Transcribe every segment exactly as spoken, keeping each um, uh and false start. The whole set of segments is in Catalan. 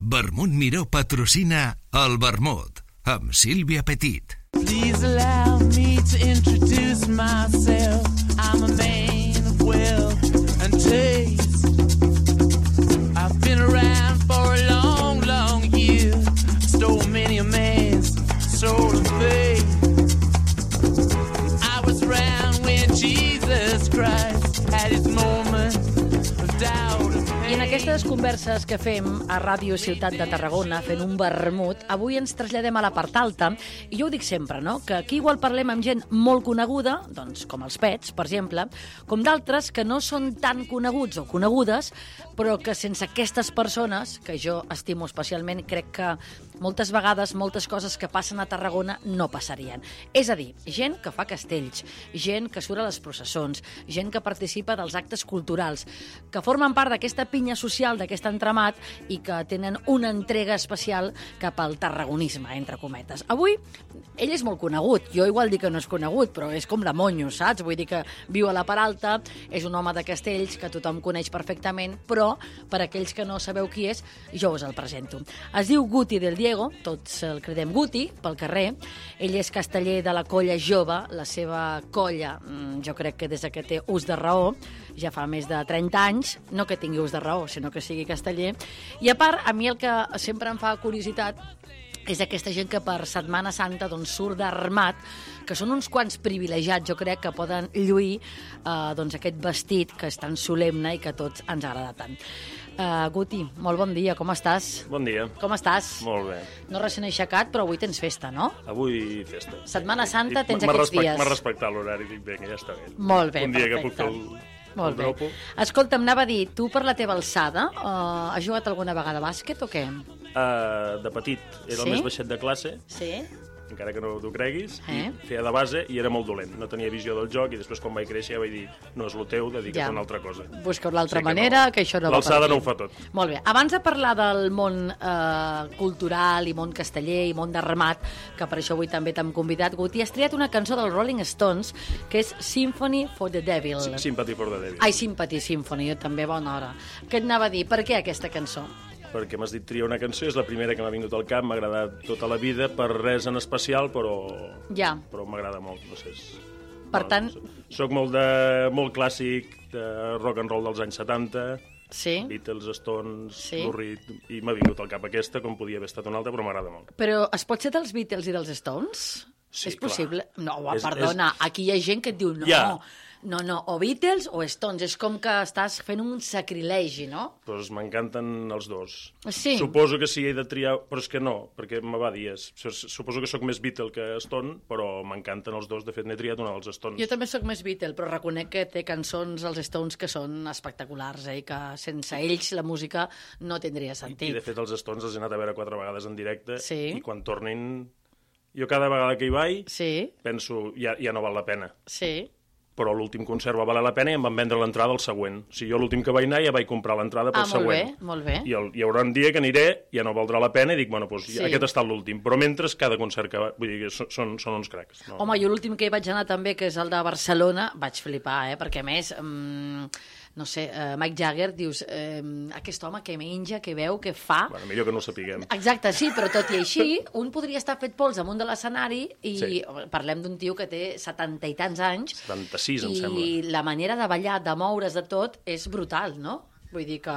Vermut Miró patrocina el vermut amb Sílvia Petit. Please allow me to introduce myself. I'm a man of wealth and taste. I've been around for a long, long year. Stole many a man's soul and faith. I was around when Jesus Christ had his moment of doubt and pain. I en aquestes converses que fem a Ràdio Ciutat de Tarragona, fent un vermut, avui ens traslladem a la part alta, i jo ho dic sempre, no?, que aquí igual parlem amb gent molt coneguda, doncs com els Pets, per exemple, com d'altres que no són tan coneguts o conegudes, però que sense aquestes persones, que jo estimo especialment, crec que moltes vegades moltes coses que passen a Tarragona no passarien. És a dir, gent que fa castells, gent que surt a les processons, gent que participa dels actes culturals, que formen part d'aquesta pinya social, d'aquest entramat, i que tenen una entrega especial cap al tarragonisme, entre cometes. Avui, ell és molt conegut. Jo igual dic que no és conegut, però és com la Monyo, saps? Vull dir que viu a la Part Alta, és un home de castells que tothom coneix perfectament, però per aquells que no sabeu qui és, jo us el presento. Es diu Guti del Diego, tots el cridem Guti pel carrer. Ell és casteller de la Colla Jove, la seva colla, jo crec que des que té ús de raó, ja fa més de trenta anys, no que tingui ús de raó, sinó que sigui casteller. I a part, a mi el que sempre em fa curiositat és aquesta gent que per Setmana Santa doncs, surt d'armat, que són uns quants privilegiats, jo crec, que poden lluir eh, doncs, aquest vestit que és tan solemne i que a tots ens agrada tant. Uh, Guti, molt bon dia, com estàs? Bon dia. Com estàs? Molt bé. No recent aixecat, però avui tens festa, no? Avui festa. Setmana Santa I, tens i, aquests respect, dies. M'ha respectat l'horari, dic, vinga, ja està bé. Molt bé, Un dia perfecte. que puc fer el, Molt el bé. dropo. Escolta'm, anava a dir, tu per la teva alçada, uh, has jugat alguna vegada a bàsquet o què? Uh, de petit, era Sí? el més baixet de classe, Sí? encara que no t'ho creguis, Eh? i feia de base i era molt dolent. No tenia visió del joc i després quan vaig créixer ja vaig dir no és el teu, dedica't Ja. a una altra cosa. Busca una altra Sí que manera, no. que això no va per L'alçada aquí. no ho fa tot. Molt bé. Abans de parlar del món eh, cultural i món casteller i món d'armat, que per això avui també t'hem convidat, Guti, has triat una cançó dels Rolling Stones que és Symphony for the Devil. Sí, Sympathy for the Devil. Ai, Sympathy Symphony, jo també, bona hora. Què et anava a dir? Per què aquesta cançó? Perquè m'has dit triar una cançó, és la primera que m'ha vingut al cap, m'ha agradat tota la vida, per res en especial, però, Ja. però m'agrada molt, no sé. És... Per tant- Soc molt, de, molt clàssic, de rock and roll dels anys setanta, Sí? Beatles, Stones, Sí. Lou Reed, i m'ha vingut al cap aquesta, com podia haver estat una altra, però m'agrada molt. Però es pot ser dels Beatles i dels Stones? Sí, és clar. possible? No, És- perdona, aquí hi ha gent que et diu no, Ja. no, no, o Beatles o Stones. És com que estàs fent un sacrilegi, no? Doncs m'encanten els dos. Sí. Suposo que si he de triar... Però és que no, perquè me va dir... és- Suposo que sóc més Beatle que Stone, però m'encanten els dos. De fet, n'he triat una dels Stones. Jo també sóc més Beatle, però reconec que té cançons, els Stones, que són espectaculars, eh? I que sense ells la música no tindria I, sentit. I, de fet, els Stones els he anat a veure quatre vegades en directe, Sí. i quan tornin... Jo cada vegada que hi vaig Sí, penso, ja, ja no val la pena. sí. Però l'últim concert va valer la pena i em van vendre l'entrada al següent. O sigui, jo l'últim que vaig anar ja vaig comprar l'entrada pel Ah, molt següent. bé, molt bé. I el, hi haurà un dia que aniré, ja no valdrà la pena, i dic, bueno, doncs Sí. ja, aquest ha estat l'últim. Però mentre cada concert que va... Vull dir que són, són, són uns cracs. No? Home, jo l'últim que hi vaig anar també, que és el de Barcelona, vaig flipar, eh? Perquè a més, mm, no sé, uh, Mick Jagger, dius, eh, aquest home que menja, que veu, que fa... Bueno, millor que no ho sapiguem. Exacte, sí, però tot i així, un podria estar fet pols amunt de l'escenari i Sí. parlem d'un tio que té setanta i tants anys setanta-sis, em i sembla. la manera de ballar, de moure's, de tot, és brutal, no? Vull dir que,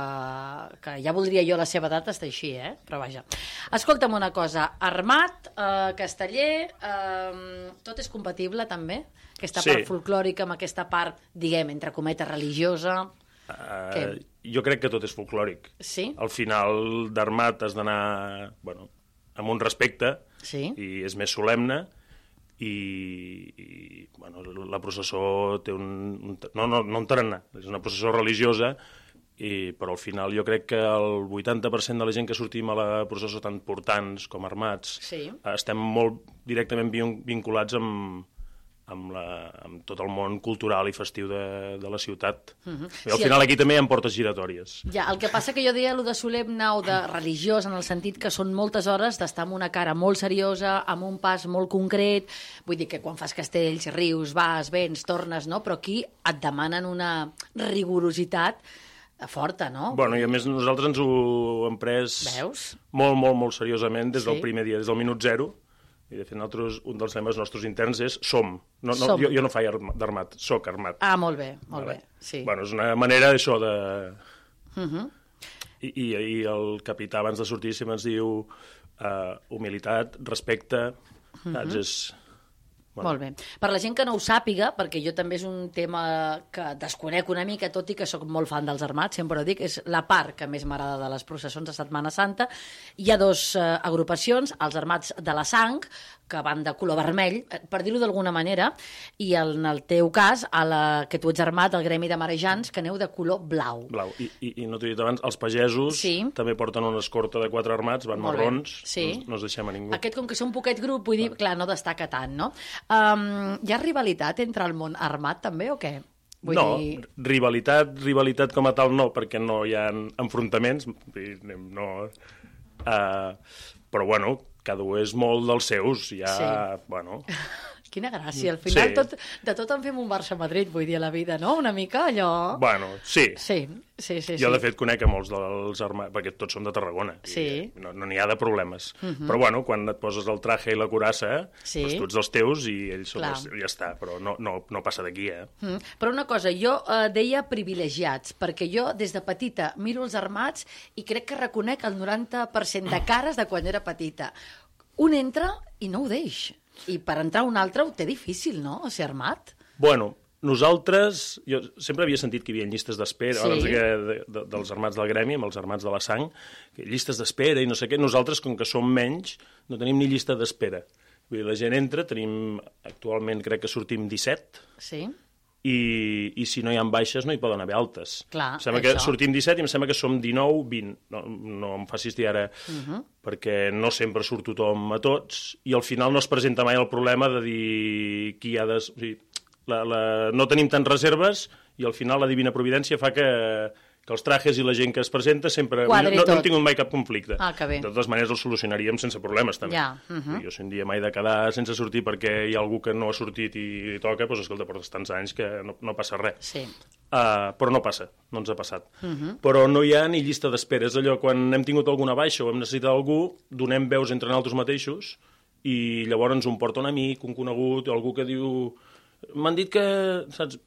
que ja voldria jo a la seva edat estar així, eh? Però vaja. Escolta'm una cosa, armat, eh, casteller, eh, tot és compatible també? Aquesta Sí. part folclòrica amb aquesta part, diguem, entre cometes, religiosa... Uh, Què? jo crec que tot és folclòric. Sí? Al final d'armat has d'anar, bueno, amb un respecte, Sí? i és més solemne, i, i bueno, la processó té un... un no, no, no un tarannà, és una processó religiosa, i, però al final jo crec que el vuitanta per cent de la gent que sortim a la processó, tant portants com armats, Sí. estem molt directament vin- vinculats amb, amb, la, amb tot el món cultural i festiu de, de la ciutat. Mhm. I al Sí, final el- aquí també hi ha portes giratòries. Ja, el que passa que jo deia allò de solemne o de religiós, en el sentit que són moltes hores d'estar amb una cara molt seriosa, amb un pas molt concret, vull dir que quan fas castells, rius, vas, vens, tornes, no? Però aquí et demanen una rigorositat forta, no? Bueno, i a més nosaltres ens ho hem pres Veus? molt, molt, molt seriosament des Sí. del primer dia, des del minut zero. I, de fet, nosaltres, un dels temes nostres interns és som. No, no, Som. Jo, jo no faig d'armat, soc armat. Ah, molt bé, molt Vale. bé, sí. Bueno, és una manera, això, de... Uh -huh. I, i, I el capità, abans de sortir, sempre ens diu uh, humilitat, respecte, saps? És... Bueno. Molt bé. Per la gent que no ho sàpiga, perquè jo també és un tema que desconec una mica, tot i que sóc molt fan dels armats, sempre ho dic, és la part que més m'agrada de les processons de Setmana Santa. Hi ha dos eh, agrupacions, els armats de la sang, que van de color vermell, per dir-ho d'alguna manera, i en el teu cas, a la que tu ets armat, el gremi de marejants, que aneu de color blau. Blau. I, i, i no t'he dit abans, els pagesos Sí. també porten una escorta de quatre armats, van Molt bé. marrons, Sí. no, no els deixem a ningú. Aquest, com que són un poquet grup, vull dir, clar, no destaca tant, no? Um, hi ha rivalitat entre el món armat, també, o què? Vull no, dir... rivalitat, rivalitat com a tal no, perquè no hi ha enfrontaments, vull dir, no... Uh, però, bueno, cada un és molt dels seus, ja, Sí. bueno... Quina gràcia, al final Sí. tot, de tot en fem un Barça-Madrid, vull dir, a la vida, no? Una mica allò... Bueno, sí. Sí, sí, sí. Jo, sí. de fet, conec a molts dels armats, perquè tots som de Tarragona. Sí. I no no n'hi ha de problemes. Uh -huh. Però, bueno, quan et poses el traje i la curassa, Sí. doncs tu ets dels teus i ells són Clar. els, ja està, però no, no, no passa d'aquí, eh? Mm. Però una cosa, jo eh, deia privilegiats, perquè jo des de petita miro els armats i crec que reconec el noranta per cent de cares de quan era petita. Un entra i no ho deix. I per entrar un altre ho té difícil, no?, ser armat. Bueno, nosaltres... Jo sempre havia sentit que hi havia llistes d'espera, Sí. abans que de, de, dels armats del gremi, amb els armats de la sang, que llistes d'espera i no sé què. Nosaltres, com que som menys, no tenim ni llista d'espera. Vull dir, la gent entra, tenim... Actualment crec que sortim disset, Sí. i, i si no hi ha baixes no hi poden haver altes. Clar, em sembla això. que sortim disset i em sembla que som dinou, vint. No, no em facis dir ara, uh -huh. perquè no sempre surt tothom a tots, i al final no es presenta mai el problema de dir qui ha de... O sigui, la, la... no tenim tant reserves i al final la divina providència fa que, que els trajes i la gent que es presenta sempre... Quadri no, no tot. hem tingut mai cap conflicte. Ah, que bé. De totes maneres el solucionaríem sense problemes, també. Ja, uh -huh. Jo si un dia mai de quedar sense sortir perquè hi ha algú que no ha sortit i li toca, doncs escolta, portes tants anys que no, no passa res. Sí. Uh, però no passa, no ens ha passat. Uh -huh. Però no hi ha ni llista d'espera. És allò, quan hem tingut alguna baixa o hem necessitat algú, donem veus entre nosaltres mateixos i llavors ens un porta un amic, un conegut, o algú que diu... M'han dit que, saps...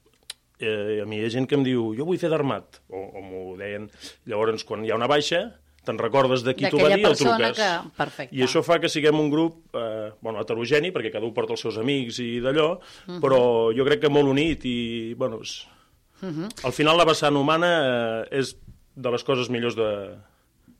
Eh, a mi hi ha gent que em diu, jo vull fer d'armat, o, o m'ho deien. Llavors, quan hi ha una baixa, te'n recordes de qui t'ho va dir i el truques. Que... Perfecte. I això fa que siguem un grup eh, bueno, heterogeni, perquè cada un porta els seus amics i d'allò, uh -huh. però jo crec que molt unit i, bueno, és... uh -huh. al final la vessant humana eh, és de les coses millors de...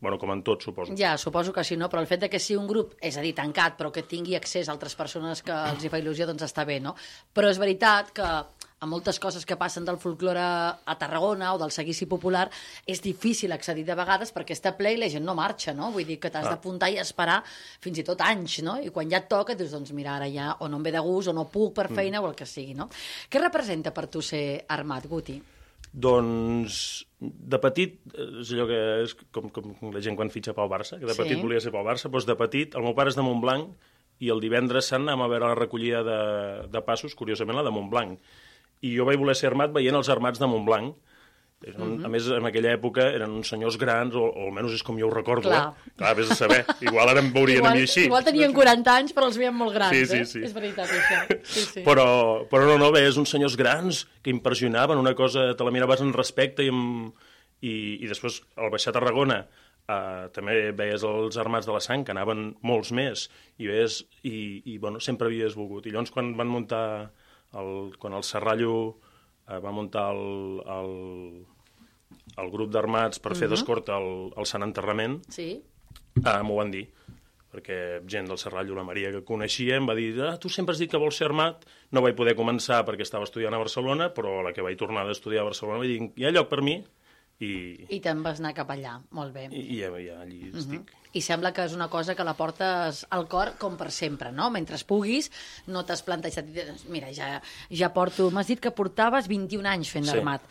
Bueno, com en tot, suposo. Ja, suposo que sí, no? Però el fet de que sigui un grup, és a dir, tancat, però que tingui accés a altres persones que els hi fa il·lusió, doncs està bé, no? Però és veritat que a moltes coses que passen del folklore a Tarragona o del seguici popular és difícil accedir de vegades perquè està ple i la gent no marxa, no? Vull dir que t'has ah. d'apuntar i esperar fins i tot anys, no? I quan ja et toca, dius, doncs mira, ara ja o no em ve de gust o no puc per feina mm. o el que sigui, no? Què representa per tu ser armat, Guti? Doncs, de petit, és allò que és com, com la gent quan fitxa pel Barça, que de petit sí. volia ser pel Barça, doncs de petit, el meu pare és de Montblanc i el divendres sant anàvem a veure la recollida de, de passos, curiosament la de Montblanc. I jo vaig voler ser armat veient els armats de Montblanc. Un, uh -huh. A més, en aquella època eren uns senyors grans, o, o almenys és com jo ho recordo. Clar, eh? Clar, vés a saber. Igual ara em veurien igual, a mi així. Igual tenien quaranta anys, però els veien molt grans, sí, sí, eh? sí. És veritat, això. Sí, sí. Però, però no, no, veies uns senyors grans que impressionaven, una cosa, te la miraves en respecte i, amb, i, i després, al baixar a Tarragona, Uh, també veies els armats de la sang, que anaven molts més, i veies, i, i bueno, sempre havies volgut. I llavors, quan van muntar, el, quan el Serrallo uh, va muntar el, el, el grup d'armats per fer uh -huh. d'escorta al, al Sant Enterrament, sí. uh, m'ho van dir, perquè gent del Serrallo, la Maria que coneixíem, va dir, ah, tu sempre has dit que vols ser armat. No vaig poder començar perquè estava estudiant a Barcelona, però a la que vaig tornar d'estudiar a Barcelona vaig dir, hi ha lloc per mi? I, I te'n vas anar cap allà, molt bé. I, i ja, ja allí estic. Uh-huh. I sembla que és una cosa que la portes al cor com per sempre, no? Mentre puguis, no t'has plantejat... Mira, ja, ja porto... M'has dit que portaves vint-i-un anys fent sí. d'armat.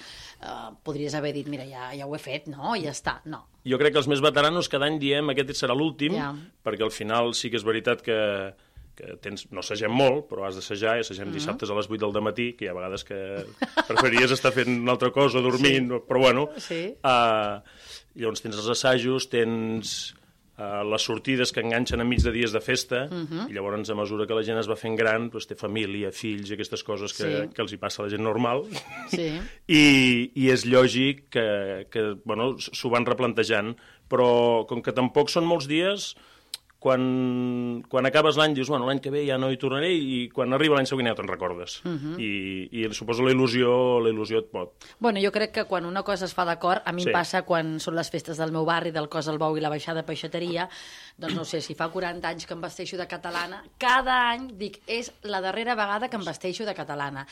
Uh, podries haver dit, mira, ja, ja ho he fet, no? I ja està. No. Jo crec que els més veteranos cada any diem aquest serà l'últim, ja. perquè al final sí que és veritat que, que tens, no assagem molt, però has d'assajar, i assagem mm-hmm. dissabtes a les vuit del dematí, que hi ha vegades que preferiries estar fent una altra cosa, dormint, sí. però bueno. Sí. Uh, llavors tens els assajos, tens uh, les sortides que enganxen enmig de dies de festa, mm-hmm. i llavors a mesura que la gent es va fent gran, doncs té família, fills i aquestes coses que, sí. que els hi passa a la gent normal. Sí. I, I és lògic que, que bueno, s'ho van replantejant, però com que tampoc són molts dies... Quan, quan acabes l'any dius, bueno, l'any que ve ja no hi tornaré, i quan arriba l'any següent ja te'n recordes. Uh-huh. I, I suposo la il·lusió, la il·lusió et pot. Bueno, jo crec que quan una cosa es fa d'acord, a mi sí. em passa quan són les festes del meu barri, del Cos al Bou i la baixada peixateria, doncs no sé, si fa quaranta anys que em vesteixo de catalana, cada any dic, és la darrera vegada que em vesteixo de catalana.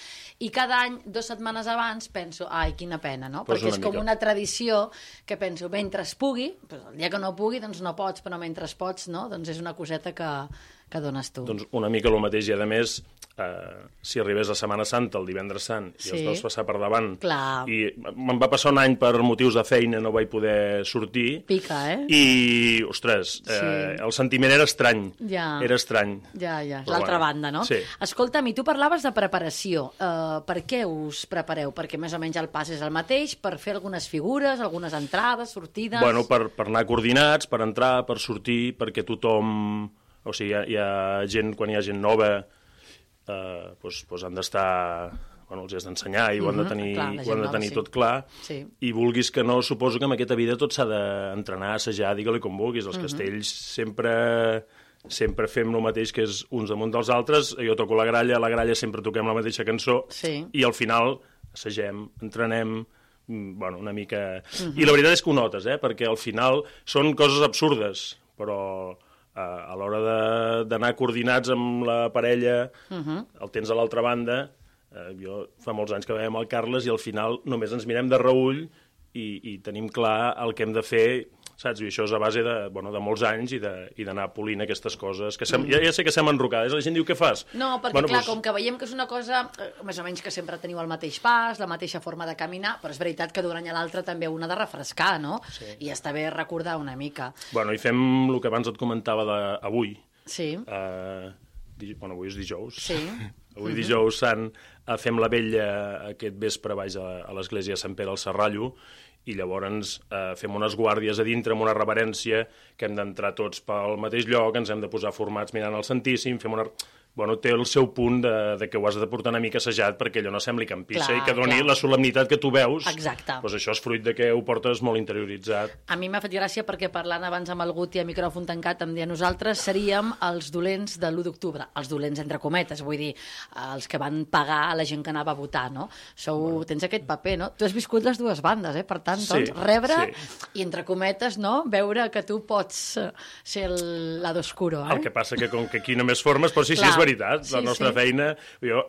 I cada any, dues setmanes abans, penso, ai, quina pena, no? Pues perquè és mica. com una tradició que penso, mentre es pugui, doncs el dia que no pugui, doncs no pots, però mentre es pots, no? Doncs és una coseta que, que dones tu. Doncs una mica el mateix, i a més, eh, si arribés la Setmana Santa, el divendres sant, i sí. els vols passar per davant, clar. I me'n va passar un any per motius de feina, no vaig poder sortir, pica, eh? I, ostres, eh, sí. el sentiment era estrany, ja. era estrany. Ja, ja, l'altra bueno. banda, no? Sí. Escolta'm, i tu parlaves de preparació, uh, per què us prepareu? Perquè més o menys el pas és el mateix, per fer algunes figures, algunes entrades, sortides... Bueno, per, per anar coordinats, per entrar, per sortir, perquè tothom... O sigui, hi ha, hi ha gent, quan hi ha gent nova, eh, doncs, doncs han d'estar... Bueno, els has d'ensenyar i ho han de tenir, clar, ho han de tenir nova, tot sí. clar. Sí. I vulguis que no, suposo que en aquesta vida tot s'ha d'entrenar, assajar, digue-li com vulguis. Els uh-huh. castells sempre, sempre fem el mateix, que és uns damunt dels altres. Jo toco la gralla, a la gralla sempre toquem la mateixa cançó, sí. i al final assagem, entrenem, bueno, una mica... Uh-huh. I la veritat és que ho notes, eh? Perquè al final són coses absurdes, però... a l'hora d'anar coordinats amb la parella, uh-huh. el tens a l'altra banda, eh, jo fa molts anys que veiem el Carles i al final només ens mirem de reüll i, i tenim clar el que hem de fer, saps? I això és a base de, bueno, de molts anys i d'anar polint aquestes coses, que sem, mm. ja, ja sé que sem enrocades, la gent diu què fas? No, perquè bueno, clar, doncs... com que veiem que és una cosa, eh, més o menys que sempre teniu el mateix pas, la mateixa forma de caminar, però és veritat que d'un any a l'altre també una de refrescar, no? Sí. I està bé recordar una mica. Bueno, i fem el que abans et comentava d'avui. Sí. Uh, di... Bueno, avui és dijous. Sí. Avui uh-huh. dijous sant, uh, fem la vetlla aquest vespre baix a, a l'església de Sant Pere al Serrallo, i llavors eh, fem unes guàrdies a dintre amb una reverència, que hem d'entrar tots pel mateix lloc, ens hem de posar formats mirant el Santíssim, fem una... Bueno, té el seu punt de, de que ho has de portar una mica assajat perquè allò no sembli que empissa i que doni clar. La solemnitat que tu veus. Exacte. Doncs això és fruit de que ho portes molt interioritzat. A mi m'ha fet gràcia perquè parlant abans amb el Guti a micròfon tancat em deia nosaltres seríem els dolents de l'u d'octubre. Els dolents entre cometes, vull dir, els que van pagar a la gent que anava a votar, no? Sou, bueno. Tens aquest paper, no? Tu has viscut les dues bandes, eh? Per tant, sí, doncs, rebre sí. i entre cometes, no? Veure que tu pots ser el lado oscuro, eh? El que passa que com que aquí només formes, però sí, clar. Sí, és veritat. Sí, la nostra sí. feina, jo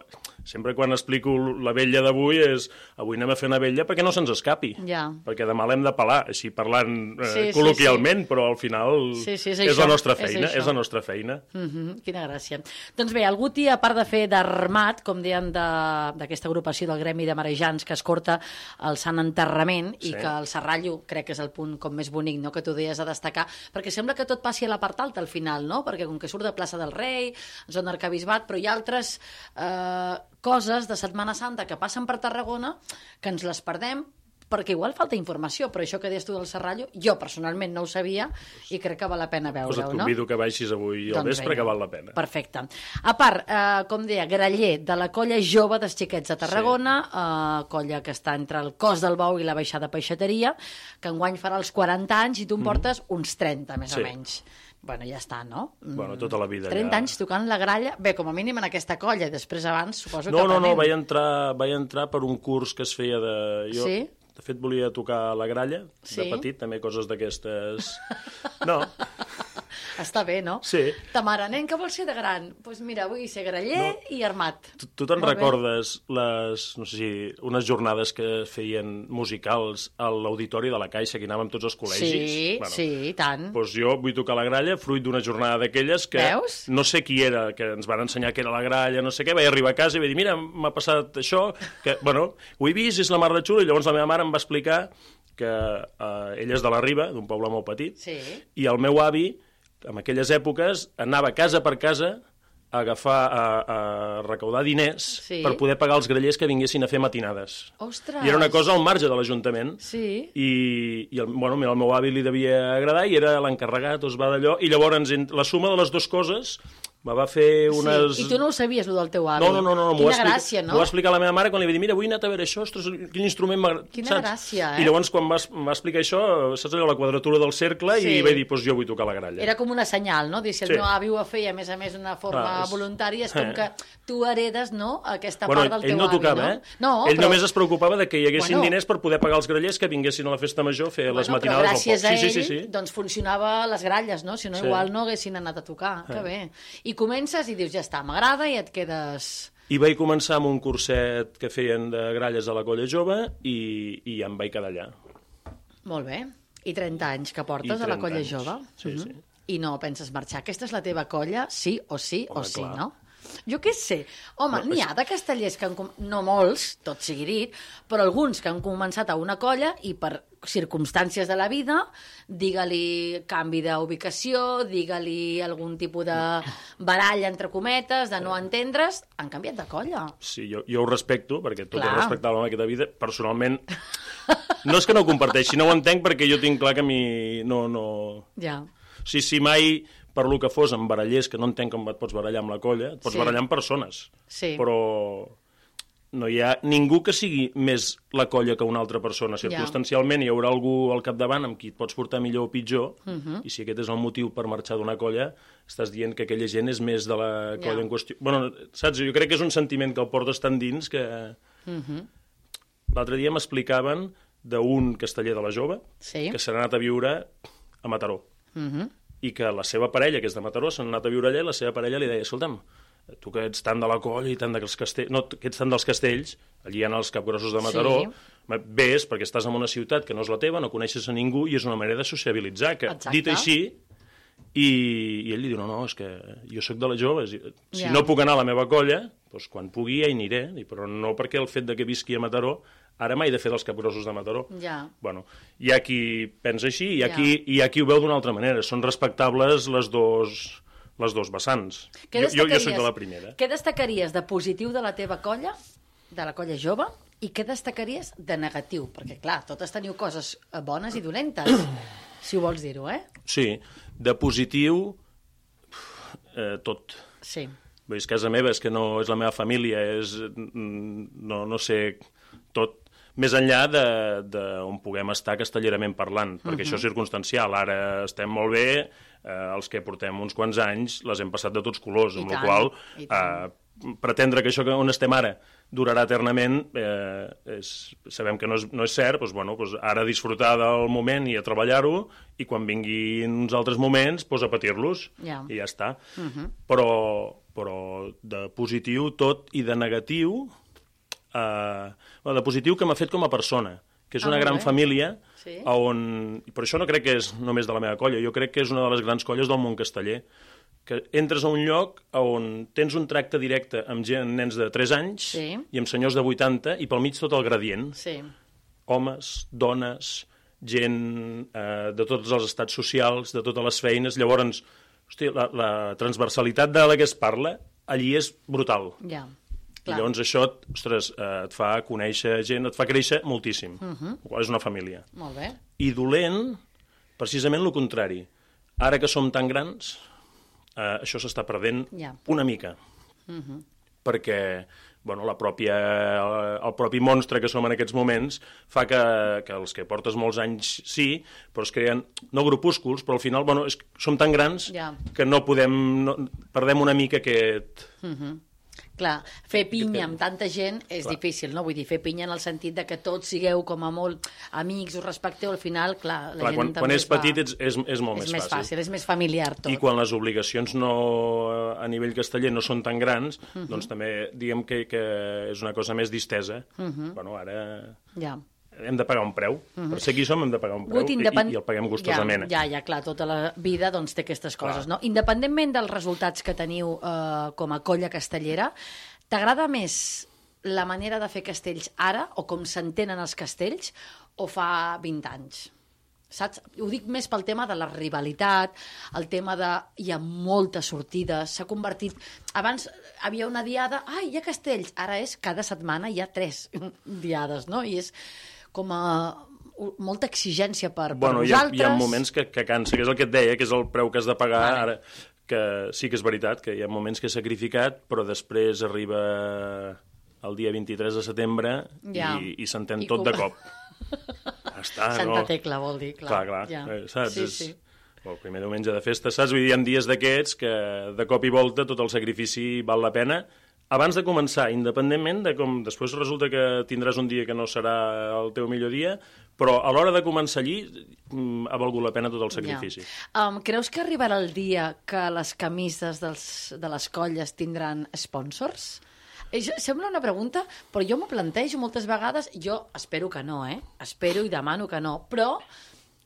sempre quan explico la vetlla d'avui és avui anem a fer una vetlla perquè no se'ns escapi, ja. perquè demà l'hem de pelar, així parlant eh, sí, col·loquialment, sí, sí. però al final sí, sí, és, és això, la nostra feina, és, és la nostra feina. Mm-hmm, quina gràcia. Doncs bé, el Guti, a part de fer d'armat, com dèiem, d'aquesta agrupació del Gremi de Marejants que escorta el Sant Enterrament sí. i que el Serrallo crec que és el punt com més bonic, no?, que tu deies a destacar, perquè sembla que tot passi a la part alta al final, no?, perquè com que surt de plaça del Rei, zona Arquebisbat, però hi ha altres eh, coses de Setmana Santa que passen per Tarragona que ens les perdem perquè igual falta informació, però això que deies tu del Serrallo, jo personalment no ho sabia i crec que val la pena veure-ho, no? Pues et convido que baixis avui al doncs vespre, bé, que val la pena. Perfecte. A part, eh, com deia, graller de la colla jove dels xiquets de Tarragona, sí. eh, colla que està entre el Cos del Bou i la baixada peixateria, que enguany farà els quaranta anys i tu en portes mm. uns trenta, més sí. o menys. Bueno, ja està, no? Bueno, tota la vida. trenta ja... anys tocant la gralla, bé, com a mínim en aquesta colla, i després abans suposo no, que... No, no, no, vaig entrar, vaig entrar per un curs que es feia de... Jo, sí? De fet, volia tocar la gralla, sí? de petit, també coses d'aquestes... No. Està bé, no? Sí. Ta mare, nen, què vols ser de gran? Doncs pues mira, vull ser graller no. i armat. Tu, tu te'n recordes les, no sé si, unes jornades que feien musicals a l'auditori de la Caixa, que anàvem tots els col·legis? Sí, bueno, sí, i tant. Doncs jo vull tocar la gralla, fruit d'una jornada d'aquelles que... Veus? No sé qui era, que ens van ensenyar què era la gralla, no sé què, vaig arribar a casa i vaig dir, mira, m'ha passat això, que, bueno, ho he vist, és la mar de xulo, i llavors la meva mare em va explicar que eh, ella és de la Riba, d'un poble molt petit, sí. i el meu avi, en aquelles èpoques, anava casa per casa a agafar, a, a recaudar diners Sí. per poder pagar els grallers que vinguessin a fer matinades. Ostres! I era una cosa al marge de l'Ajuntament. Sí. I, i el, bueno, mira, el meu avi li devia agradar i era l'encarregat, o es va d'allò, i llavors la suma de les dues coses me va fer unes... Sí. I tu no ho sabies, el del teu avi? No, no, no, no. Quina explica... gràcia, no? M'ho va explicar la meva mare quan li va dir, mira, avui he anat a veure això, ostres, quin instrument m'agrada. Quina saps? gràcia, eh? I llavors, quan va, va explicar això, saps allò, la quadratura del cercle, Sí. i va dir, doncs jo vull tocar la gralla. Era com una senyal, no? Dir, si el Sí. meu avi ho feia, a més a més, d'una forma Ah, és- voluntària, és com Eh. que tu heredes, no?, aquesta Bueno, part del ell teu no avi, tocava, no? eh? No, ell però... només es preocupava de que hi haguessin Bueno. diners per poder pagar els grallers que vinguessin a la festa major a fer les Bueno, però matinades gràcies del a poble. ell, Sí, sí, sí. doncs funcionava les gralles, no? Si no, Sí. igual no haguessin anat a tocar. Que bé. I comences i dius, ja està, m'agrada, i et quedes... I vaig començar amb un curset que feien de gralles a la Colla Jove i, i em vaig quedar allà. Molt bé. I trenta anys que portes I a la trenta Colla anys. Jove. Sí, Mhm. sí. I no penses marxar. Aquesta és la teva colla, sí o sí Home, o sí, clar. no? Jo què sé. Home, No, n'hi és- ha de castellers que han... com- No molts, tot sigui dit, però alguns que han començat a una colla i per circumstàncies de la vida, digue-li canvi d'ubicació, digue-li algun tipus de barall, entre cometes, de no entendre's, han canviat de colla. Sí, jo, jo ho respecto, perquè tot Clar. és respectable en aquesta vida. Personalment, no és que no ho comparteixi, no ho entenc perquè jo tinc clar que a mi no... no... Ja. Sí, si mai, per lo que fos, amb barallers, que no entenc com et pots barallar amb la colla, et pots Sí. barallar amb persones. Sí. Però no hi ha ningú que sigui més la colla que una altra persona. Circumstancialment hi haurà algú al capdavant amb qui et pots portar millor o pitjor, Uh -huh. i si aquest és el motiu per marxar d'una colla, estàs dient que aquella gent és més de la colla Ja. en qüestió. Bueno, saps? Jo crec que és un sentiment que el portes tan dins que... Uh -huh. L'altre dia m'explicaven d'un casteller de la Jove Sí. que s'ha anat a viure a Mataró Uh -huh. i que la seva parella, que és de Mataró, s'ha anat a viure allà i la seva parella li deia, escolta'm, tu que ets tant de la colla i tant dels castells, no, que ets tant dels castells, allí hi ha els capgrossos de Mataró, Sí. ves perquè estàs en una ciutat que no és la teva, no coneixes a ningú i és una manera de sociabilitzar, que Exacte. dit així, i, i ell li diu, no, no, és que jo sóc de la jove, si Ja. no puc anar a la meva colla, doncs quan pugui ja hi aniré, I, però no perquè el fet de que visqui a Mataró, ara mai de fer dels capgrossos de Mataró. Ja. Bueno, hi ha qui pensa així i hi ha, Ja. qui, hi ha qui ho veu d'una altra manera. Són respectables les dos, les dos vessants. Què Jo, jo, jo destacaries- soc de la primera. Què destacaries de positiu de la teva colla, de la colla jove, i què destacaries de negatiu? Perquè, clar, totes teniu coses bones i dolentes, si ho vols dir-ho, eh? Sí, de positiu, eh, tot. Sí. Vull dir, és casa meva, és que no és la meva família, és, mm, no, no sé, tot. Més enllà de, de on puguem estar castellerament parlant, perquè això és circumstancial. Ara estem molt bé, eh, els que portem uns quants anys les hem passat de tots colors, I amb tant, la qual i tant. eh, pretendre que això que on estem ara durarà eternament, eh, és, sabem que no és, no és cert, doncs, bueno, doncs ara disfrutar del moment i a treballar-ho, i quan vinguin uns altres moments, doncs a patir-los, Ja. i ja està. Uh-huh. Però, però de positiu tot, i de negatiu, eh, bueno, de positiu que m'ha fet com a persona, que és Ah, una molt gran bé. família, Sí. on, i per això no crec que és només de la meva colla, jo crec que és una de les grans colles del món casteller, que entres a un lloc on tens un tracte directe amb gent, nens de tres anys Sí. i amb senyors de vuitanta, i pel mig tot el gradient, Sí. homes, dones, gent eh, de tots els estats socials, de totes les feines. Llavors, hosti, la, la transversalitat de la que es parla allí és brutal. Ja. I Clar. llavors això, ostres, eh, et fa conèixer gent, et fa créixer moltíssim. Uh -huh. Qual és una família. Molt bé. I dolent, precisament el contrari. Ara que som tan grans, eh, això s'està perdent Ja. una mica. Uh -huh. Perquè bueno, la pròpia, el propi monstre que som en aquests moments fa que, que els que portes molts anys sí, però es creen, no grupúsculs, però al final bueno, és, som tan grans Ja. que no podem, no, perdem una mica aquest... Uh -huh. Clar, fer pinya amb tanta gent és Clar. difícil, no? Vull dir, fer pinya en el sentit de que tots sigueu com a molt amics, us respecteu, al final, clar, la Clar, gent quan, també quan és es va- petit ets, és, és molt és més fàcil. fàcil, és més familiar tot. I quan les obligacions no, a nivell casteller no són tan grans, Mhm. doncs també diguem que, que és una cosa més distesa. Mhm. Bueno, ara Ja. hem de pagar un preu. Per ser qui som hem de pagar un preu Gut, i, independ- i el paguem gustosament. Ja, ja, ja, clar, tota la vida doncs, té aquestes coses, no? Independentment dels resultats que teniu eh, com a colla castellera, t'agrada més la manera de fer castells ara, o com s'entenen els castells, o fa vint anys? saps? Ho dic més pel tema de la rivalitat, el tema de... Hi ha moltes sortides, s'ha convertit... Abans havia una diada, ai, hi ha castells, ara és cada setmana hi ha tres diades, no? I és com a... molta exigència per, bueno, per hi ha, vosaltres. Hi ha moments que, que cansa, que és el que et deia, que és el preu que has de pagar vale. ara, que sí que és veritat, que hi ha moments que he sacrificat, però després arriba el dia vint-i-tres de setembre ja. i, i s'entén tot com... de cop. Ja està, Santa no? Tecla, vol dir, clar. Clar, clar, ja. eh, saps? Sí, és... sí. El primer diumenge de festa, saps? Vull dir, hi ha dies d'aquests que de cop i volta tot el sacrifici val la pena. Abans de començar, independentment de com després resulta que tindràs un dia que no serà el teu millor dia, però a l'hora de començar allí ha valgut la pena tot el sacrifici. Ja. Um, creus que arribarà el dia que les camises dels, de les colles tindran sponsors? Sembla una pregunta, però jo m'ho plantejo moltes vegades. Jo espero que no, eh? Espero i demano que no, però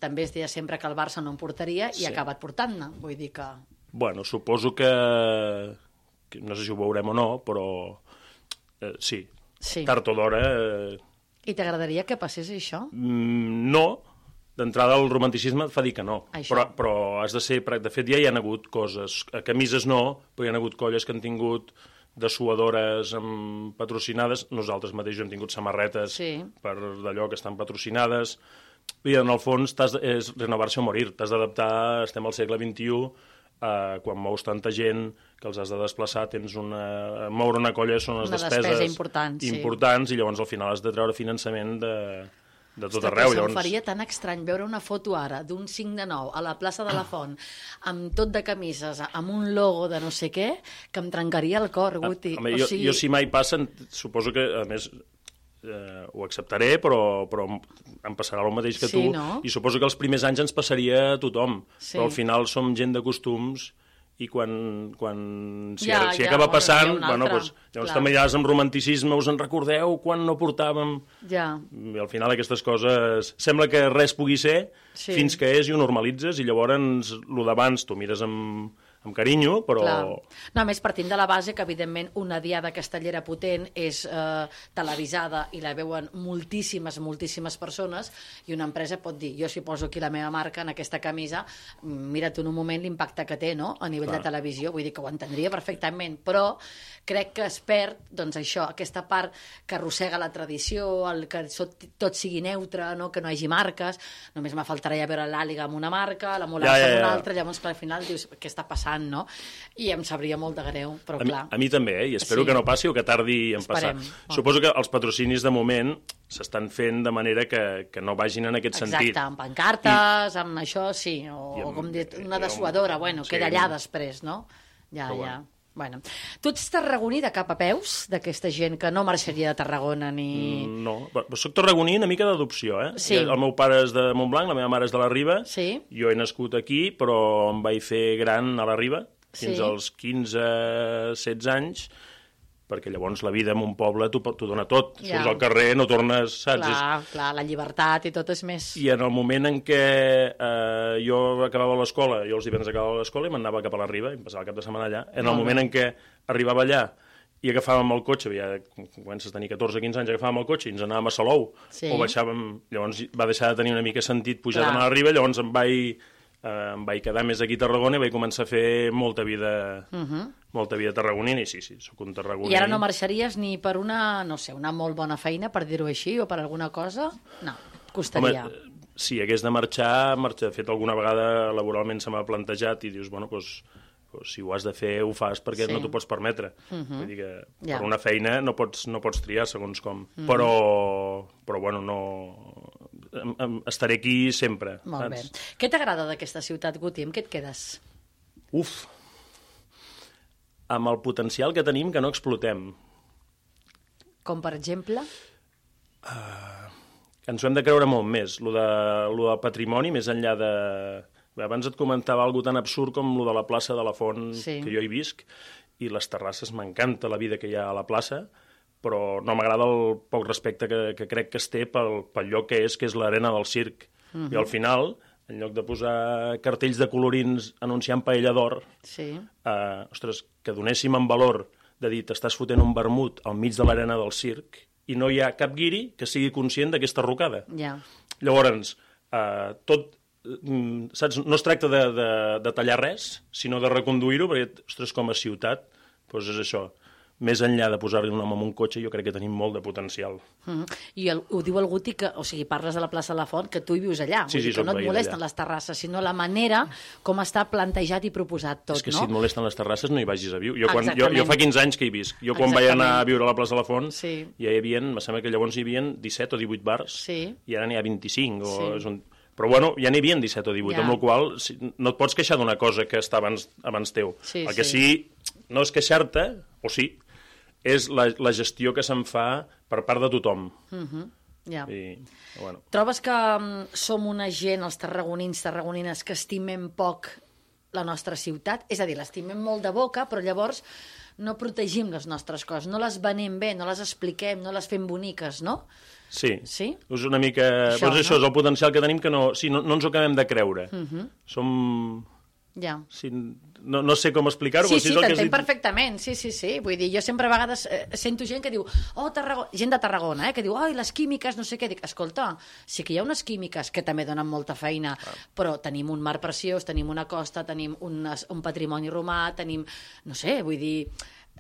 també es deia sempre que el Barça no en portaria i sí. ha acabat portant-ne. Vull dir que... Bueno, suposo que... no sé si ho veurem o no, però eh, sí. sí, tard o d'hora... Eh... I t'agradaria que passés això? Mm, no, d'entrada el romanticisme et fa dir que no, però, però has de ser... De fet, ja hi ha hagut coses, a camises no, però hi ha hagut colles que han tingut dessuadores amb patrocinades, nosaltres mateixos hem tingut samarretes sí. per d'allò que estan patrocinades, i en el fons t'has de, és renovar-se o morir, t'has d'adaptar, estem al segle vint-i-u, Uh, quan mous tanta gent que els has de desplaçar, tens una... moure una colla són les una despeses important, importants sí. i llavors al final has de treure finançament de, de tot Ostres, arreu. Se'm llavors... faria tan estrany veure una foto ara d'un cinc de nou a la plaça de la Font amb tot de camises, amb un logo de no sé què, que em trencaria el cor, Guti. A, a mi, jo, o sigui... jo si mai passen, suposo que a més eh, ho acceptaré, però, però em passarà el mateix que sí, tu, no? I suposo que els primers anys ens passaria a tothom, sí. però al final som gent de costums i quan, quan si, ja, si ja, acaba bueno, passant, bueno, doncs, llavors clar. també ja és amb romanticisme, us en recordeu quan no portàvem... Ja. I al final aquestes coses... Sembla que res pugui ser sí. fins que és i ho normalitzes i llavors el d'abans tu mires amb... amb carinyo, però... Clar. No, a més, partint de la base que, evidentment, una diada castellera potent és eh, televisada i la veuen moltíssimes, moltíssimes persones i una empresa pot dir, jo si poso aquí la meva marca en aquesta camisa, mira't en un moment l'impacte que té, no?, a nivell Clar. de televisió, vull dir que ho entendria perfectament, però crec que es perd, doncs això, aquesta part que arrossega la tradició, el que tot sigui neutre, no?, que no hi hagi marques, només me faltaria veure l'àliga amb una marca, la molança ja, ja, ja. amb una altra, llavors que al final dius, què està passant? No? I em sabria molt de greu, però a clar. Mi, a mi també, eh? I espero sí. que no passi o que tardi en Esperem. passar. Oh. Suposo que els patrocinis de moment s'estan fent de manera que, que no vagin en aquest Exacte, sentit. Exacte, amb pancartes, I... amb això, sí, o, amb, o com dit, una dessuadora, bueno, sí, queda allà després, no? Ja, ja. Bueno. Bueno. Tu ets tarragoní de cap a peus, d'aquesta gent que no marxaria de Tarragona ni... Mm, no, però soc tarragoní una mica d'adopció, eh? Sí. El meu pare és de Montblanc, la meva mare és de la Riba, sí. jo he nascut aquí, però em vaig fer gran a la Riba, fins sí. als quinze setze anys, perquè llavors la vida en un poble t'ho dona tot. Ja. Surts al carrer, no tornes, saps? Clar, clar, la llibertat i tot és més... I en el moment en què eh, jo acabava l'escola, jo els divendres acabava l'escola i m'anava cap a la Riba, i em passava el cap de setmana allà. En el Molt moment bé. en què arribava allà i agafàvem el cotxe, ja comences a tenir catorze quinze anys, agafàvem el cotxe i ens anàvem a Salou, sí. o baixàvem... Llavors va deixar de tenir una mica sentit pujar a la Riba, llavors em vaig... Uh, em vaig quedar més aquí a Tarragona i vaig començar a fer molta vida uh-huh. molta vida tarragonina i sí, sí, sóc un tarragoní. I ara no marxaries ni per una, no sé, una molt bona feina, per dir-ho així, o per alguna cosa? No, costaria. Home, si hagués de marxar, marxar, de fet alguna vegada laboralment se m'ha plantejat i dius, bueno, doncs, doncs si ho has de fer ho fas perquè sí. no t'ho pots permetre. Uh-huh. Vull dir que ja. per una feina no pots, no pots triar segons com. Uh-huh. Però, però bueno, no... estaré aquí sempre. Molt saps? bé. Què t'agrada d'aquesta ciutat, Guti? Amb què et quedes? Uf! Amb el potencial que tenim que no explotem. Com, per exemple? Uh, ens ho hem de creure molt més. Lo de, lo del patrimoni, més enllà de... Abans et comentava alguna tan absurd com lo de la plaça de la Font, sí. que jo hi visc, i les terrasses, m'encanta la vida que hi ha a la plaça, però no m'agrada el poc respecte que, que crec que es té pel, pel lloc que és, que és l'arena del circ. Uh-huh. I al final, en lloc de posar cartells de colorins anunciant paella d'or, sí. eh, ostres, que donéssim en valor de dir t'estàs fotent un vermut al mig de l'arena del circ i no hi ha cap guiri que sigui conscient d'aquesta rocada. Yeah. Llavors, uh, tot, uh, saps, no es tracta de, de, de tallar res, sinó de reconduir-ho, perquè, ostres, com a ciutat, doncs és això. Més enllà de posar-li un home en un cotxe, jo crec que tenim molt de potencial. Mm -hmm. I el, ho diu algú que, o sigui, parles de la plaça de la Font, que tu hi vius allà. Sí, Vull sí, dir que no et molesten allà. Les terrasses, sinó la manera com està plantejat i proposat tot, és que no? si et molesten les terrasses no hi vagis a viure. Jo, quan, jo, Exactament. jo fa quinze anys que hi visc. Jo quan Exactament. vaig anar a viure a la plaça de la Font, Sí. ja hi havia, em sembla que llavors hi havia disset o divuit bars, Sí. i ara n'hi ha vint-i-cinc. O Sí. és un... Però bueno, ja n'hi havia disset o divuit, Ja. amb la qual cosa no et pots queixar d'una cosa que està abans, abans teu. Sí, El que sí. sí, no és queixar-te, o sí, és la, la gestió que se'n fa per part de tothom. Mm -hmm. Ja. I, bueno. Trobes que um, som una gent, els tarragonins, tarragonines, que estimem poc la nostra ciutat? És a dir, l'estimem molt de boca, però llavors no protegim les nostres coses, no les venem bé, no les expliquem, no les fem boniques, no? Sí, Sí? és una mica... Això, Això, doncs això no? és el potencial que tenim que no, sí, no, no ens ho acabem de creure. Mm -hmm. Som... Ja. Sí, no, no sé com explicar-ho. Sí, però sí, és el que has t'entenc dit. perfectament, sí, sí, sí. Vull dir, jo sempre a vegades eh, sento gent que diu, oh, Tarragona, gent de Tarragona, eh, que diu, ai, les químiques, no sé què. Dic, escolta, sí que hi ha unes químiques que també donen molta feina, ah. però tenim un mar preciós, tenim una costa, tenim un, un patrimoni romà, tenim, no sé, vull dir...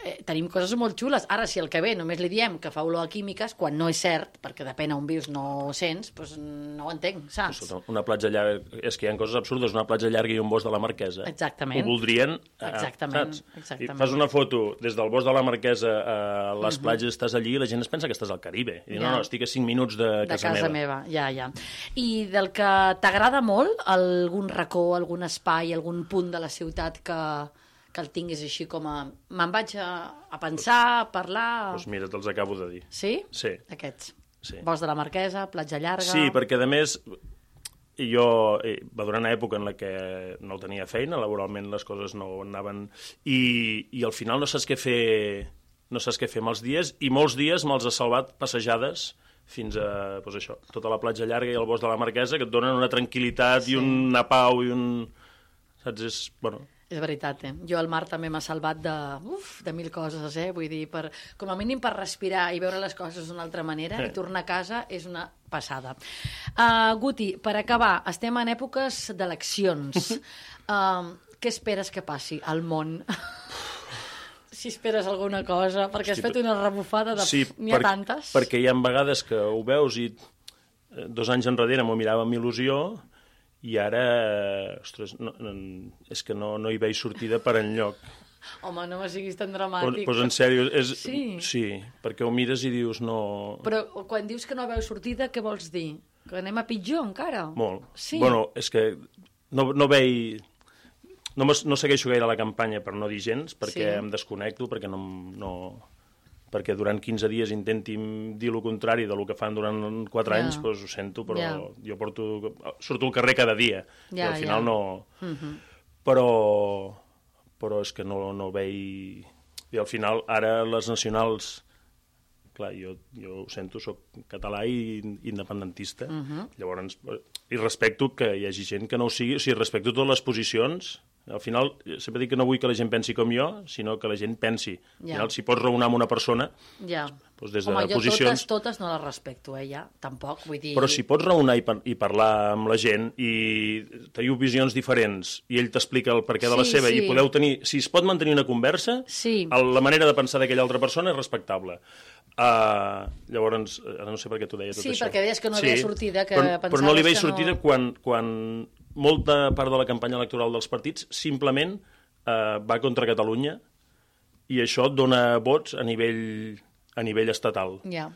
Eh, tenim coses molt xules. Ara, si el que ve només li diem que fa olor a químiques, quan no és cert, perquè depèn on vius no ho sents, doncs no ho entenc, saps? Escolta, una platja llarga... És que hi ha coses absurdes. Una platja llarga i un bosc de la Marquesa. Exactament. Ho voldrien... Eh, Exactament, saps? exactament. I fas una foto des del bosc de la Marquesa a les platges, estàs allí i la gent es pensa que estàs al Caribe. I diu, Ja. no, no, estic a cinc minuts de, De casa, casa meva. meva, ja, ja. I del que t'agrada molt, algun racó, algun espai, algun punt de la ciutat que, que el tinguis així com a... Me'n vaig a, a pensar, a parlar... Doncs mira, te'ls acabo de dir. Sí? Sí. Aquests. Sí. Bosc de la Marquesa, platja llarga... Sí, perquè a més jo eh, va durar una època en la que no tenia feina, laboralment les coses no anaven... I, i al final no saps què fer, no saps què fer amb els dies, i molts dies me'ls ha salvat passejades fins a, doncs això, tota la platja llarga i el bosc de la Marquesa, que et donen una tranquil·litat Sí. i una pau i un... Saps? És, bueno... És veritat, eh? Jo el mar també m'ha salvat de, uf, de mil coses, eh? Vull dir, per, com a mínim per respirar i veure les coses d'una altra manera, Eh. i tornar a casa és una passada. Uh, Guti, per acabar, estem en èpoques d'eleccions. Uh, què esperes que passi al món? Si esperes alguna cosa, perquè has Hosti, fet una rebufada de... Sí, N'hi ha per, tantes. perquè hi ha vegades que ho veus i eh, dos anys enrere m'ho mirava amb il·lusió i ara, ostres, no, no, és que no, no hi veig sortida per enlloc. Home, no me siguis tan Pues, dramàtic. pues en sèrio, és, Sí. sí, perquè ho mires i dius no... Però quan dius que no veus sortida, què vols dir? Que anem a pitjor encara? Molt. Sí. Bueno, és que no, no veig... No, mos- no segueixo gaire la campanya per no dir gens, perquè Sí. em desconnecto, perquè no, no... perquè durant quinze dies intenti dir el contrari del que fan durant quatre Ja. anys, doncs ho sento, però Ja. jo porto... surto al carrer cada dia, i Ja, al final ja. no... Mhm. Però, però és que no, no veig... I al final, ara les nacionals... Clar, jo, jo ho sento, sóc català i independentista, Mhm. llavors, i respecto que hi hagi gent que no ho sigui, o sigui, respecto totes les posicions. Al final, sempre dic que no vull que la gent pensi com jo, sinó que la gent pensi. Al Ja. final, si pots raonar amb una persona, Ja. doncs des de Home, jo posicions... totes, totes no les respecto, eh, ja, tampoc, vull dir... Però si pots raonar i, par i parlar amb la gent i teniu visions diferents i ell t'explica el perquè de la Sí, seva sí. i podeu tenir... Si es pot mantenir una conversa, Sí. el, la manera de pensar d'aquella altra persona és respectable. Uh, llavors, ara no sé per què t'ho deia tot Sí, això. perquè deies que no veia sortida, que però, però no li pensaves veig que no- sortida quan, quan molta part de la campanya electoral dels partits simplement uh, va contra Catalunya i això et dona vots a nivell, a nivell estatal. Ja.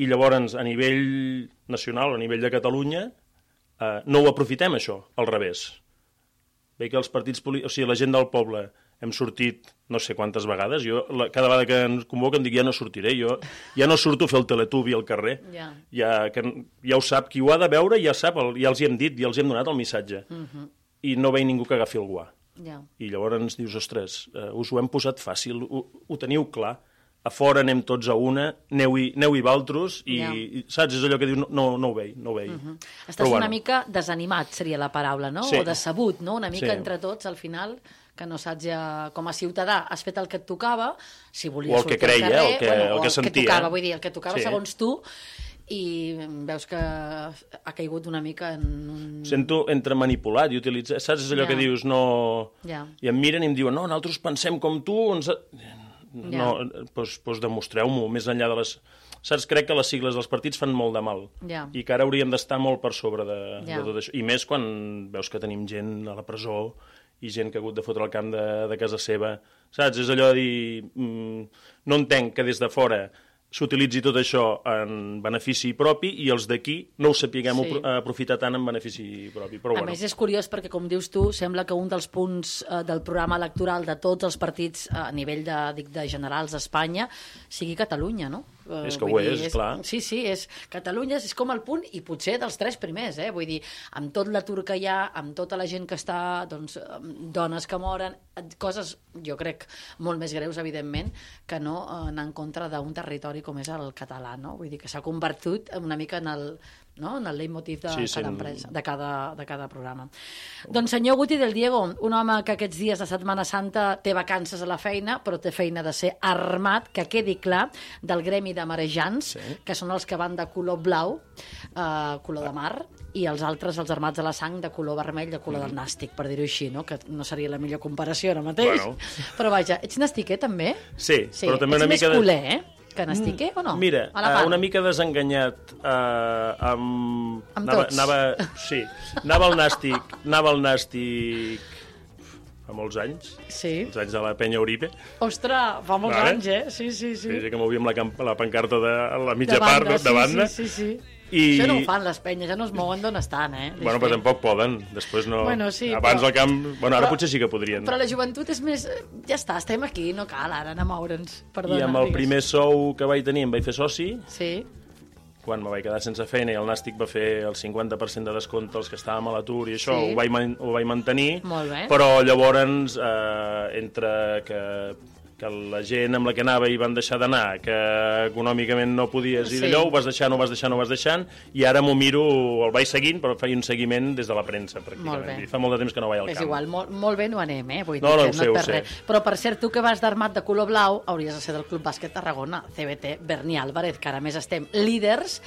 I llavors, a nivell nacional, a nivell de Catalunya, eh, no ho aprofitem, això, al revés. Ve que els partits polítics, o sigui, la gent del poble, hem sortit no sé quantes vegades, jo la, cada vegada que ens convoquen dic ja no sortiré, jo ja no surto a fer el teletubi al carrer, Ja. ja, que, ja ho sap, qui ho ha de veure ja sap, el, ja els hi hem dit, ja els hi hem donat el missatge, Mhm. i no veig ningú que agafi el guà. Ja. I llavors ens dius, ostres, eh, us ho hem posat fàcil, ho, ho teniu clar, a fora anem tots a una, aneu-hi aneu valtros, i, Ja. i saps, és allò que diu, no, no, no ho veig, no ho veig. Mhm. Estàs Però, una bueno, mica desanimat, seria la paraula, no? Sí. O decebut, no? Una mica Sí. entre tots, al final, que no saps ja... Com a ciutadà has fet el que et tocava, si volies O el que sortir al creia, carrer, el que- bueno, el o que el sentia. que tocava, vull dir, el que tocava Sí. segons tu, i veus que ha caigut una mica en un... Sento entre manipulat i utilitzar... Saps? És allò Ja. que dius, no... Ja. I em miren i em diuen, no, nosaltres pensem com tu, ens... No, doncs, doncs demostreu-m'ho, més enllà de les... Saps? Crec que les sigles dels partits fan molt de mal. Ja. I que ara hauríem d'estar molt per sobre de, Ja. de tot això. I més quan veus que tenim gent a la presó i gent que ha hagut de fotre el camp de, de casa seva. Saps? És allò de dir... Mm, no entenc que des de fora s'utilitzi tot això en benefici propi i els d'aquí no ho sapiguem Sí. aprofitar tant en benefici propi. Però, A bueno. més, és curiós perquè, com dius tu, sembla que un dels punts eh, del programa electoral de tots els partits eh, a nivell de, dic, de generals d'Espanya sigui Catalunya, no? Eh, És que vull ho dir, és, clar. Sí, sí, és, Catalunya és com el punt, i potser dels tres primers, eh? Vull dir, amb tot l'atur que hi ha, amb tota la gent que està, doncs, amb dones que moren, coses, jo crec, molt més greus, evidentment, que no eh, anar en contra d'un territori com és el català, no? Vull dir que s'ha convertit una mica en el, no? en el leitmotiv de, Sí, sí, sí, cada en- empresa, de cada, de cada programa. Doncs senyor Guti del Diego, un home que aquests dies de Setmana Santa té vacances a la feina, però té feina de ser armat, que quedi clar, del gremi de marejants, sí. que són els que van de color blau, eh, color de mar, i els altres, els armats de la sang, de color vermell, de color del nàstic, per dir-ho així, no? Que no seria la millor comparació ara mateix. Bueno. Però vaja, ets nàstic, eh, també? Sí, però també ets una més mica de- culer, eh? Que n'estic, eh, o no? Mira, A la uh, part. una mica desenganyat uh, amb... Amb anava, tots. Anava, sí, anava al nàstic, anava al nàstic fa molts anys, Sí. els anys de la penya Uribe. Ostres, fa molts Vale. anys, eh? Sí, sí, sí. Sí, sí que movíem la, camp la pancarta de la mitja De part banda, de, de banda. Sí, sí, sí. sí. I- Això no ho fan les penyes, ja no es mouen d'on estan, eh? Bueno, però tampoc poden, després no... Bueno, sí, Abans però- al camp... Bueno, ara però- potser sí que podrien. Però la joventut és més... Ja està, estem aquí, no cal ara anar a moure'ns. Perdona, I amb el digues. primer sou que vaig tenir em vaig fer soci, Sí, quan me vaig quedar sense feina i el Nàstic va fer el cinquanta per cent de descompte als que estàvem a l'atur i això Sí. ho, vaig, man- ho vaig mantenir, Molt bé. però llavors eh, entre que, que la gent amb la que anava hi van deixar d'anar, que econòmicament no podies i Sí. d'allò ho vas deixant, ho vas deixant, ho vas deixant, i ara m'ho miro, el vaig seguint, però faig un seguiment des de la premsa, pràcticament. Molt bé. I fa molt de temps que no vaig al és camp. igual, molt, molt bé no anem, eh? Vull dir No, no, que ho sé, et ho perd sé. res. Però, per cert, tu que vas d'armat de color blau, hauries de ser del Club Bàsquet Tarragona, C B T, Berni Álvarez, que ara a més estem líders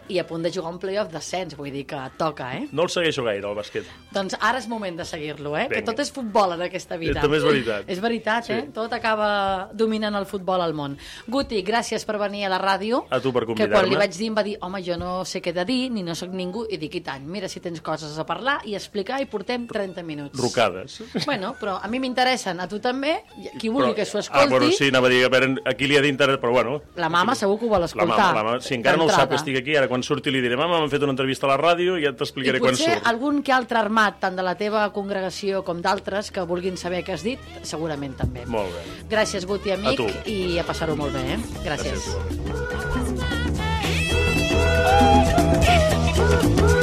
i a punt de jugar un playoff d'ascens, vull dir que toca, eh? No el segueixo gaire, el bàsquet. Doncs ara és moment de seguir-lo, eh? Vinga. Que tot és futbol en aquesta vida. També és veritat. És veritat, eh? Sí. Tot acaba dominant el futbol al món. Guti, gràcies per venir a la ràdio. A tu per Que convidar-me. quan li vaig dir em va dir, home, jo no sé què he de dir, ni no sóc ningú, i dic, i tant, mira si tens coses a parlar i explicar, i portem trenta minuts. Rucades. Bueno, però a mi m'interessen, a tu també, qui vulgui Però- que s'ho Ah, escolti. bueno, sí, anava a dir, a veure, a qui li ha d'interès, però bueno... La mama segur que ho vol La escoltar. mama, la mama, si encara no ho sap que d'entrada. estic aquí, ara quan surti li diré, mama, m'han fet una entrevista a la ràdio i ja I t'explicaré quan potser surt. algun que altre armat, tant de la teva congregació com d'altres, que vulguin saber què has dit, segurament també. Molt bé. Gràcies, Guti, amic, A tu. i a passar-ho molt bé, eh? Gràcies. Gràcies, igualment. Thank you.